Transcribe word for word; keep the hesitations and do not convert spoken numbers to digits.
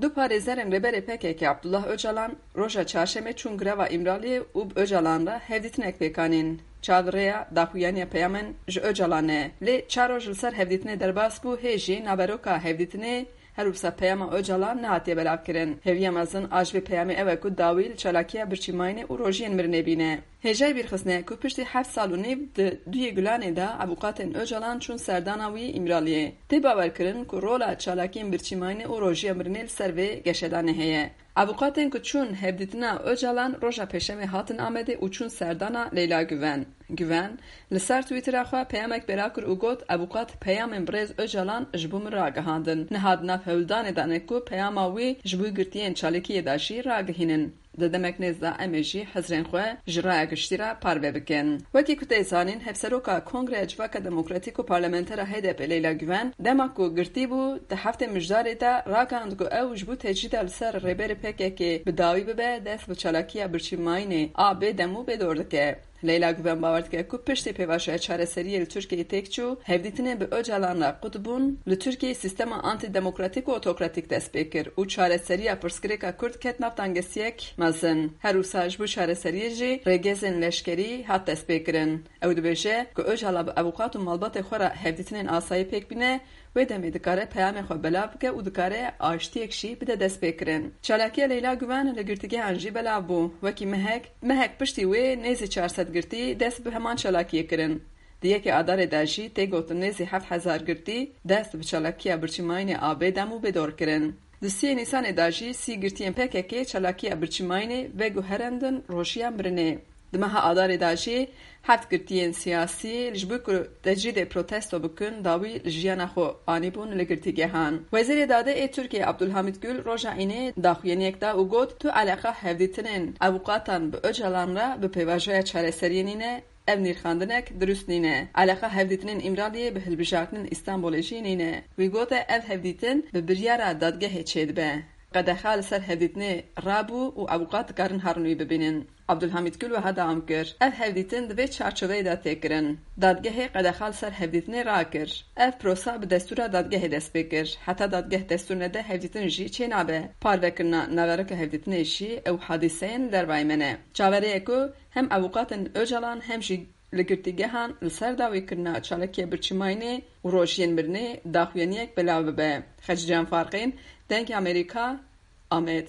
Du parêzerên Rêberê P K K Abdullah Ocalan roja çarşemê çûn greva Îmraliyê û bi Ocalan re hevdîtinek pêk anîn. Çavrêya daxuyaniya peyamên ji Ocalan e. Lê çar roj li ser hevdîtinê derbas bû, hê jî naveroka hevdîtinê her wisa peyama Ocalan nehatiye belavkirin. Hêviya mezin a ji vê peyamê ew e ku dawî li çalakiya birçîmayînê û rojiyên mirinê bîne. Hêjayî bîrxistinê ku piştî heft sal û nîv di duyê Gulanê de avûkatên Ocalan çûn serdana wî Îmraliyê. Tê bawerkirin ku rola çalakiyên birçîmayînê û rojiya mirinê li ser vê geşedanê heye. Avûkatên ku çûn hevdîtina Ocalan roja Pêşemê hatin Amedê û çûn serdana Leyla Guven. Guven li ser Twitter'a xwe peyamek belav kir û got, "Avûkat peyamên birêz Ocalan ji bo min ragihandin. Niha di nav hewldanê de ne ku peyama wî ji bo girtiyên çalakiyê de jî ragihînin." Di demek nêz de em ê jî hizrên xwe ji raya giştî re parve bikin. Wekî ku tê zanîn, Hevseroka Kongreya Civaka Demokratîk û Parlamentera H D P Leyla Guven, dema ku girtî bû, di heftê Mijdarê de ragihand ku ew ji bo tecrîda li ser rêberê P K K bi dawî bibe, dest bi çalakiya birçîmayînê a bêdem û bêdor dike. Leyla Guven bawer dike ku piştî pêvajoya çareseriyê li Tirkiyeyê têk çû, hevdîtinên bi Ocalan re qut bûn, li Tirkiyeyê sîstema antîdemokratîk û otokratîk dest pê kir û çareseriya pirsgirêka Kurd ket nav tengesiyek mezin. Her wisa ji bo çareseriyê jî rêgezên leşkerî hat destpêkirin. Ew dibêje ku Ocalan bi avûkat û malbatê xwe re hevdîtinên asayî pêk bîne, wê demê dikare peyamê xwe belav bike û dikare aştiyek jî bide destpêkirin. Çalakiya Leyla Guven li girtîgehan jî belav bû. Wekî mehek, mehek piştî wê nêzî çar sed girtî dest bi heman çalakiyê kirin. Di yekê Adarê de jî tê gotin nêzî heft hezar girtî dest bi çalakiya birçîmayînê a bêdem û bêdor kirin. Di siyê Nîsanê de jî sî girtiyên P K K çalakiya birçîmayînê veguherandin rojiya mirinê. Di meha Adarê de jî heft girtiyên siyasî ji bo ku tecrîdê protesto bikin, dawî li jiyana xwe anîbûn li girtîgehan. Wezîrê Dadê ê Tirkiyê Abdulhamid Gül roja Înê daxuyaniyek da û got, "Tu eleqa hevdîtinên avûkatan bi Ocalan re bi pêvajoya çareseriyê nîne, ev nirxandinek dirust nîne. Eleqa hevdîtinên Îmraliyê bi hilbijartinên Îstanbulê jî nîne." Wî gote, "Ev hevdîtin bi biryara dadgehê çêdibe. Qedexa li ser hevdîtinê rabû û avûkat dikarin herin wî bibînin." Abdulhamid Gül wiha dewam kir, "Ev hevdîtin di vê çarçoveyê de tê kirin. Dadgehê qedexa li ser hevdîtinê rakir. Ev prosa bi destûra dadgehê dest pê kir. Heta dadgeh destûr nede hevdîtin jî çênabe. Parvekirina naveroka hevdîtinê jî ew hadîseyên li dervayê me ne." Çaverê ye ku hem avûkatên Ocalan hem jî li girtîgehan li ser dawîkirina çalakiya birçîmayînê û rojiyên mirinê daxuyaniyek belav bibe. Xecîcan Farqîn, Dengê Amerîka, Amed.